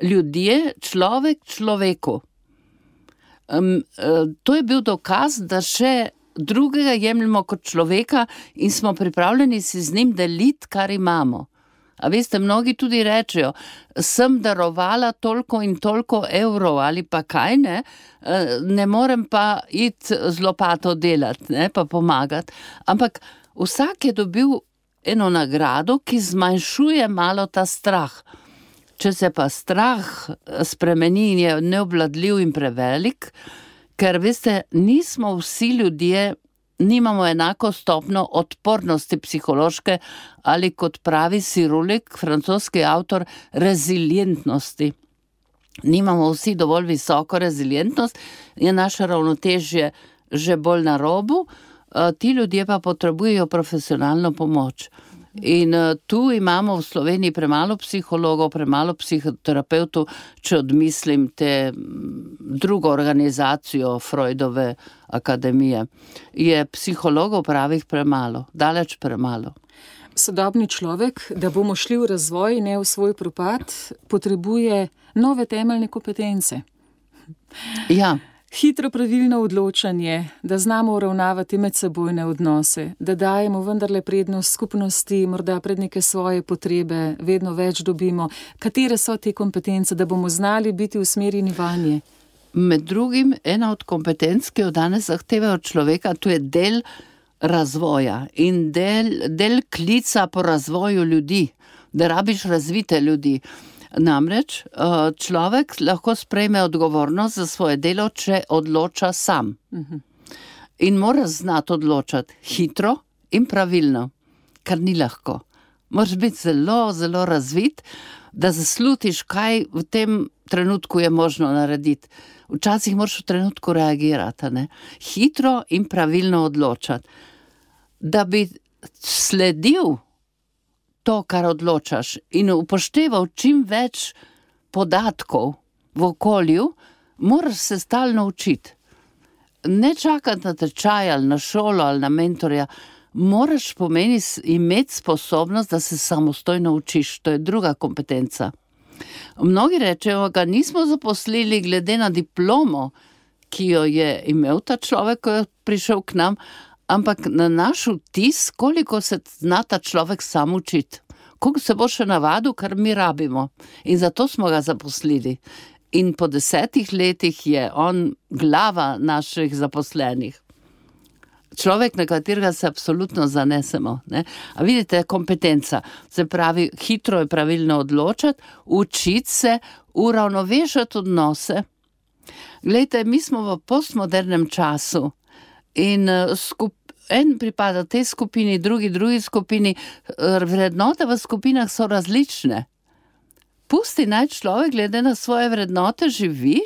Ljudje, človek človeku. Um, to je bil dokaz, da še drugega jemljamo kot človeka in smo pripravljeni si z njim deliti, kar imamo. A veste, mnogi tudi rečejo, sem darovala toliko in toliko evrov ali pa kaj, ne, ne morem pa iti z lopato delati, ne, pa pomagati. Ampak vsak je dobil eno nagrado, ki zmanjšuje malo ta strah. Če se pa strah spremeni in je neobvladljiv in prevelik, ker, veste, nismo vsi ljudje, nimamo enako stopno odpornosti psihološke ali, kot pravi Sirulik, francoski avtor, rezilientnosti. Nimamo vsi dovolj visoko rezilientnost, je naše ravnotežje že bolj na robu, ti ljudje pa potrebujejo profesionalno pomoč. In uh, tu imamo v Sloveniji premalo psihologov, premalo psihoterapeutov, če odmislim te drugo organizacijo Freudove akademije. Je psihologov pravih premalo, daleč premalo.
Sodobni človek, da bomo šli v razvoj, ne v svoj propad, potrebuje nove temeljne kompetence.
Ja.
Hitro pravilno odločanje, da znamo uravnavati medsebojne odnose, da dajemo vendarle prednost skupnosti, morda pred neke svoje potrebe, vedno več dobimo. Katere so te kompetence, da bomo znali biti usmerjeni vanje?
Med drugim, ena od kompetenc, ki jo danes zahteva od človeka, to je del razvoja in del, del klica po razvoju ljudi, da rabiš razvite ljudi. Namreč človek lahko sprejme odgovornost za svoje delo, če odloča sam. In mora znati odločati hitro in pravilno, kar ni lahko. Moraš biti zelo, zelo razvit, da zaslutiš, kaj v tem trenutku je možno narediti. Včasih moraš v trenutku reagirati, ne? Hitro in pravilno odločati. Da bi sledil to, kar odločaš in upošteval čim več podatkov v okolju, moraš se stalno učiti. Ne čakati na tečaj ali na šolo ali na mentorja, moraš pomeni imeti sposobnost, da se samostojno učiš, to je druga kompetenca. Mnogi rečejo, ga nismo zaposlili glede na diplomo, ki jo je imel ta človek, ko je prišel k nam, ampak na naš vtis, koliko se zna ta človek sam učiti, koliko se bo še navadil, kar mi rabimo. In zato smo ga zaposlili. In po desetih letih je on glava naših zaposlenih. Človek, na katerega se absolutno zanesemo. Ne? A vidite, kompetenca, se pravi, hitro je pravilno odločati, učiti se, uravnovešati odnose. Glejte, mi smo v postmodernem času in skup, en pripada tej skupini, drugi, drugi skupini, vrednote v skupinah so različne. Pusti naj človek glede na svoje vrednote živi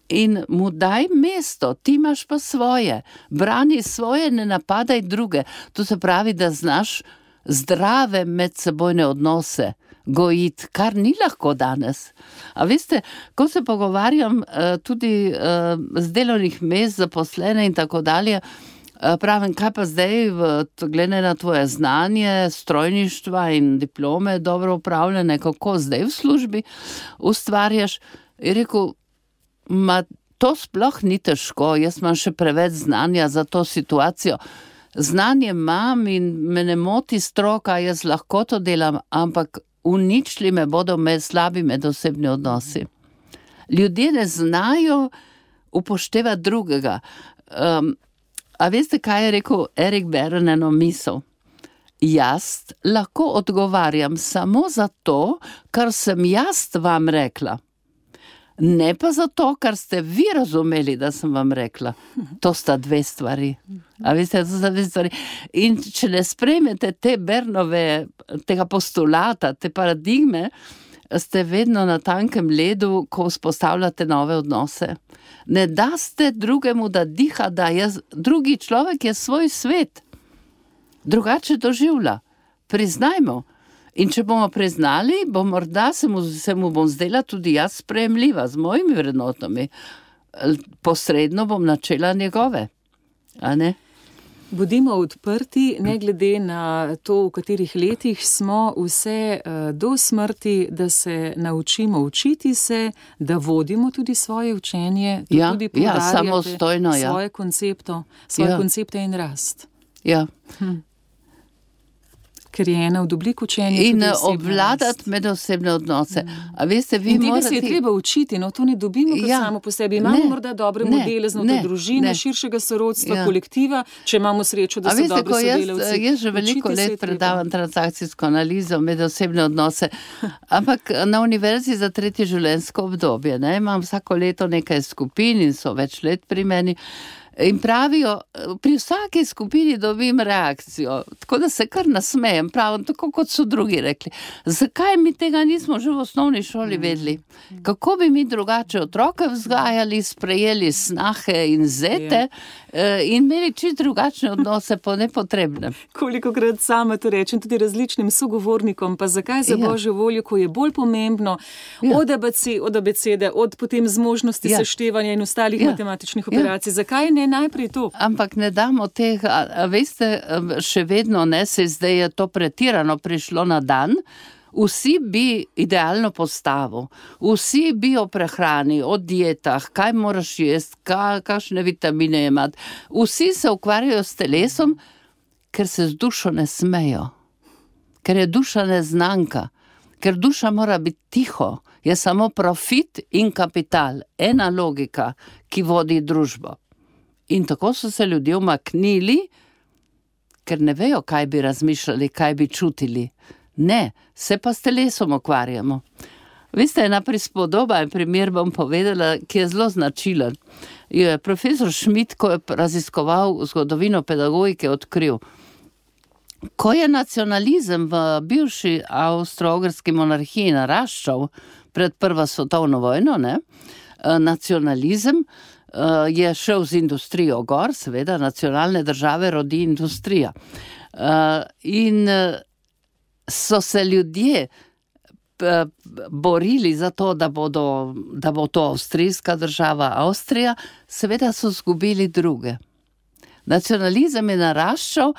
in mu daj mesto, ti imaš pa svoje. Brani svoje, ne napadaj druge. To se pravi, da znaš zdrave medsebojne odnose gojiti, kar ni lahko danes. A veste, ko se pogovarjam tudi z delovnih mest, zaposlene in tako dalje, pravim, kaj pa zdaj, glede na tvoje znanje, strojništva in diplome dobro upravljene, kako zdaj v službi ustvarjaš? Je rekel, ma to sploh ni težko, jaz imam še preveč znanja za to situacijo. Znanje imam in me ne moti stroka, jaz lahko to delam, ampak uničili me bodo med slabi medosebni odnosi. Ljudje ne znajo upoštevati drugega. Um, A veste, kaj je rekel Erik Beren eno misel? Jaz lahko odgovarjam samo za to, kar sem jaz vam rekla. Ne pa za to, kar ste vi razumeli, da sem vam rekla. To sta dve stvari. A veste, to sta dve stvari. In če ne sprejmete te Bernove, tega postulata, te paradigme, ste vedno na tankem ledu, ko vzpostavljate nove odnose. Ne daste drugemu, da diha, da je drugi človek je svoj svet. Drugače doživlja. Priznajmo. In če bomo priznali, bo morda se mu, se mu bom zdela tudi jaz sprejemljiva z mojimi vrednotami. Posredno bom načela njegove. A ne?
Bodimo odprti, ne glede na to, v katerih letih smo, vse do smrti, da se naučimo učiti se, da vodimo tudi svoje učenje, da
ja,
tudi
ja, samostojno,
svoje,
ja.
koncepto, svoje
ja.
koncepte in rast.
Ja.
Hm. Ker je ena od oblik učenja.
In obvladati medosebne odnose. A veste, vi
in tega
morate...
se je treba učiti, no to ne dobimo kot ja. samo po sebi. Imamo ne. morda dobre ne. modele znotraj družine, ne. širšega sorodstva, ja. kolektiva, če imamo srečo, da
A
so
veste,
dobri sodelavci.
Jaz, jaz že veliko let predavam transakcijsko analizo, medosebne odnose, ampak na univerzi za tretje življenjsko obdobje, ne, imam vsako leto nekaj skupin in so več let pri meni. In pravijo, pri vsaki skupini dobim reakcijo, tako da se kar nasmejem, pravim, tako kot so drugi rekli. Zakaj mi tega nismo že v osnovni šoli vedeli? Kako bi mi drugače otroke vzgajali, sprejeli snahe in zete in imeli čisto drugačne odnose po nepotrebnem?
Kolikokrat sama to rečem tudi različnim sogovornikom, pa zakaj za ja. Božjo voljo, ko je bolj pomembno ja. od A B C, od abecede, od potem zmožnosti ja. seštevanja in ostalih ja. matematičnih operacij, ja. zakaj ne najprej to?
Ampak ne damo teh, a, a veste, še vedno ne, se zdaj je to pretirano prišlo na dan, vsi bi idealno postavo, vsi bi o prehrani, o dietah, kaj moraš jesti, ka, kakšne vitamine imati, vsi se ukvarjajo s telesom, ker se z dušo ne smejo, ker je duša neznanka, ker duša mora biti tiho, je samo profit in kapital, ena logika, ki vodi družbo. In tako so se ljudje umaknili, ker ne vejo, kaj bi razmišljali, kaj bi čutili. Ne, se pa s telesom ukvarjamo. Veste, ena prispodoba, en primer bom povedala, ki je zelo značilen. Je profesor Schmidt, ko je raziskoval zgodovino pedagogike, odkril, ko je nacionalizem v bivši avstro-ogrski monarhiji naraščal pred prvo svetovno vojno, ne, nacionalizem je šel z industrijo gor, seveda, nacionalne države rodi industrija. In so se ljudje borili za to, da bodo, da bo to avstrijska država Avstrija, seveda so zgubili druge. Nacionalizem je naraščal,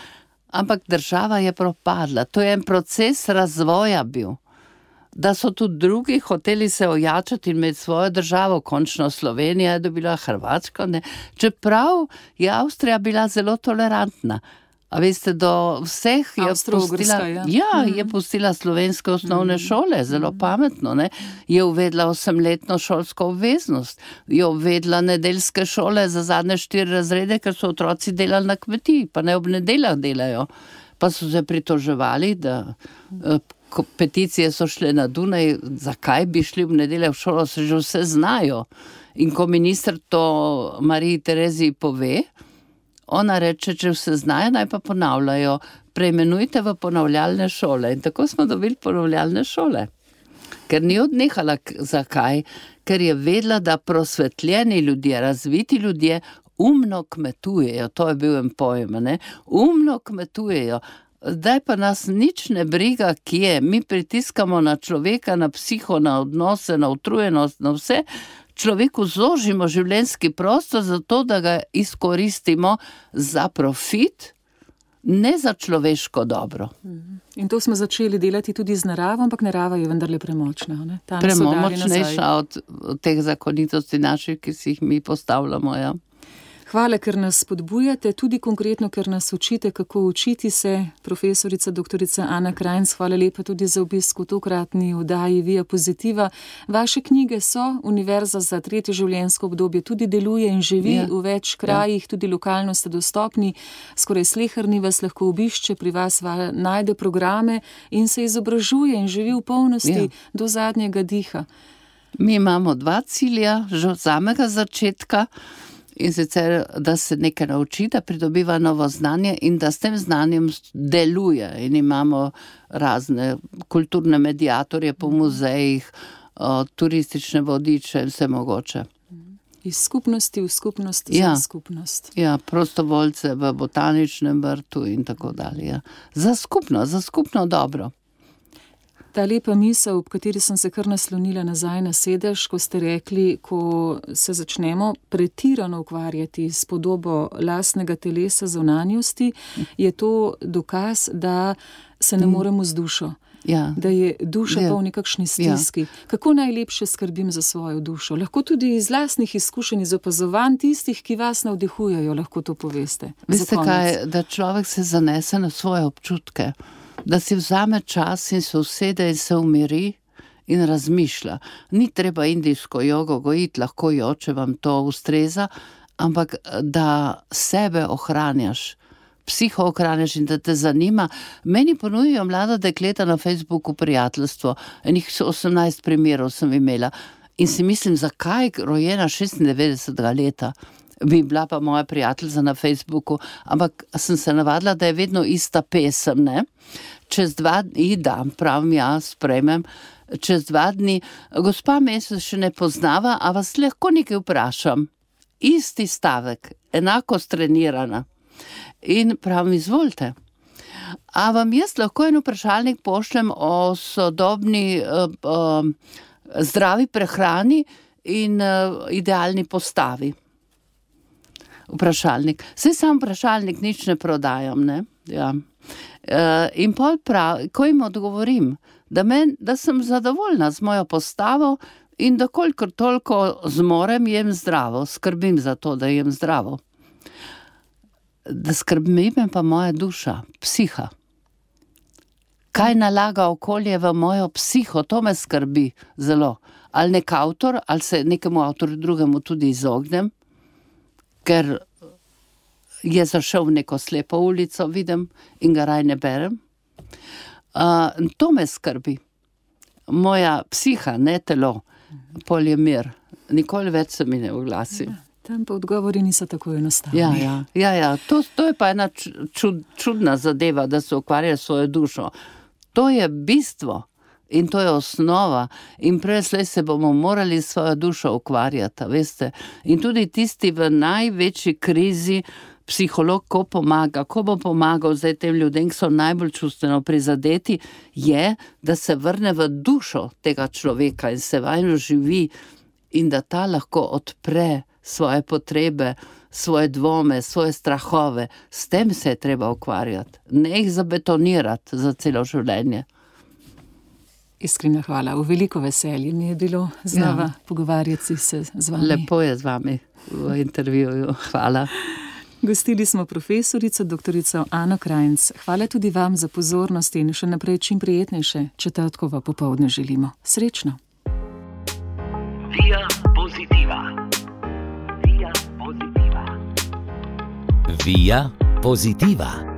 ampak država je propadla. To je en proces razvoja bil. Da so tudi drugi hoteli se ojačati in imeti svojo državo, končno Slovenija je dobila Hrvačko, ne. Čeprav je Avstrija bila zelo tolerantna. A veste, do vseh je pustila,
ja.
Ja, je pustila slovenske osnovne šole, zelo pametno, ne. Je uvedla osemletno šolsko obveznost, je uvedla nedeljske šole za zadnje štiri razrede, ker so otroci delali na kmetiji, pa ne ob nedeljah delajo. Pa so se pritoževali, da peticije so šle na Dunaj, zakaj bi šli v nedeljo v šolo, se že vse znajo. In ko minister to Mariji Tereziji pove, ona reče, če vse znajo, naj pa ponavljajo, preimenujte v ponavljalne šole. In tako smo dobili ponavljalne šole. Ker ni odnehala, zakaj? Ker je vedela, da prosvetljeni ljudje, razviti ljudje umno kmetujejo, to je bil en pojem, ne? Umno kmetujejo. Zdaj pa nas nič ne briga, kje. Mi pritiskamo na človeka, na psiho, na odnose, na utrujenost, na vse. Človeku zožimo življenjski prostor zato, da ga izkoristimo za profit, ne za človeško dobro.
In to smo začeli delati tudi z naravo, ampak narava je vendarle premočna, ne?
Premočnejša od, od teh zakonitosti naših, ki si jih mi postavljamo, ja.
Hvala, ker nas spodbujate, tudi konkretno, ker nas učite, kako učiti se. Profesorica doktorica Ana Krajnc, hvala lepa tudi za obisk v tokratni oddaji Via Positiva. Vaše knjige so, Univerza za tretje življenjsko obdobje tudi deluje in živi ja. v več krajih, ja. tudi lokalno ste dostopni. Skoraj sleherni vas lahko obišče, pri vas najde programe in se izobražuje in živi v polnosti ja. do zadnjega diha.
Mi imamo dva cilja, že od samega začetka. In sicer, da se nekaj nauči, da pridobiva novo znanje in da s tem znanjem deluje. In imamo razne kulturne mediatorje po muzejih, turistične vodiče in vse mogoče.
Iz skupnosti v skupnost
ja.
za skupnost.
Ja, prostovoljce v botaničnem vrtu in tako dalje. Ja. Za skupno, za skupno dobro.
Ta lepa misel, ob kateri sem se kar naslonila nazaj na sedež, ko ste rekli, ko se začnemo pretirano ukvarjati s podobo lastnega telesa, zunanjosti, je to dokaz, da se ne moremo z dušo.
Ja.
Da je duša
ja.
pa v nekakšni stiski. Ja. Kako najlepše skrbim za svojo dušo? Lahko tudi iz lastnih izkušenj, iz opazovanj tistih, ki vas navdihujejo, lahko to poveste.
Veste kaj, da človek se zanese na svoje občutke. Da si vzame čas in se usede in se umiri in razmišlja. Ni treba indijsko jogo gojiti, lahko jo, če vam to ustreza, ampak da sebe ohranjaš, psiho ohranjaš in da te zanima. Meni ponujajo mlada dekleta na Facebooku prijateljstvo, enih osemnajst primerov sem imela in si mislim, zakaj rojena šestindevetdesetega leta. Bi bila pa moja prijateljica na Facebooku, ampak sem se navadila, da je vedno ista pesem, ne? Čez dva dni, da, pravim jaz, sprejmem, čez dva dni, gospa me se še ne poznava, a vas lahko nekaj vprašam. Isti stavek, enako strenirana. In pravim, izvolite. A vam jaz lahko en vprašalnik pošljem o sodobni uh, uh, zdravi prehrani in uh, idealni postavi? Vprašalnik. Saj sam vprašalnik nič ne prodajam, ne? Ja. E, in pol prav, ko jim odgovorim, da, men, da sem zadovoljna z mojo postavo in da kolikor toliko zmorem, jem zdravo, skrbim za to, da jem zdravo. Da skrbim pa moja duša, psiha. Kaj nalaga okolje v mojo psiho, to me skrbi zelo. Ali nek avtor, ali se nekemu avtorju drugemu tudi izognem, ker je zašel v neko slepo ulico, vidim, in ga raj ne berem. Uh, to me skrbi. moja psiha, ne telo, polimer. Nikoli več se mi ne oglasi.
Ja, tam pa odgovori niso tako enostavni.
Ja, ja, ja, ja. To, to je pa ena čud, čudna zadeva, da se ukvarja svojo dušo. To je bistvo in to je osnova in preslej se bomo morali svojo dušo ukvarjati, veste. In tudi tisti v največji krizi, psiholog, ko pomaga, ko bo pomagal zdaj tem ljudem, ki so najbolj čustveno prizadeti, je, da se vrne v dušo tega človeka in se vanjo živi in da ta lahko odpre svoje potrebe, svoje dvome, svoje strahove. S tem se je treba ukvarjati, ne jih zabetonirati za celo življenje.
Iskrena hvala, v veliko veselje mi je bilo znova ja. pogovarjati se z vami.
Lepo je z vami v intervjuju, hvala.
Gostili smo profesorico doktorico Ano Krajnc. Hvala tudi vam za pozornost in še naprej čim prijetnejše četrtkovo popoldne želimo. Srečno!
Via Positiva. Via Positiva.
Via Positiva.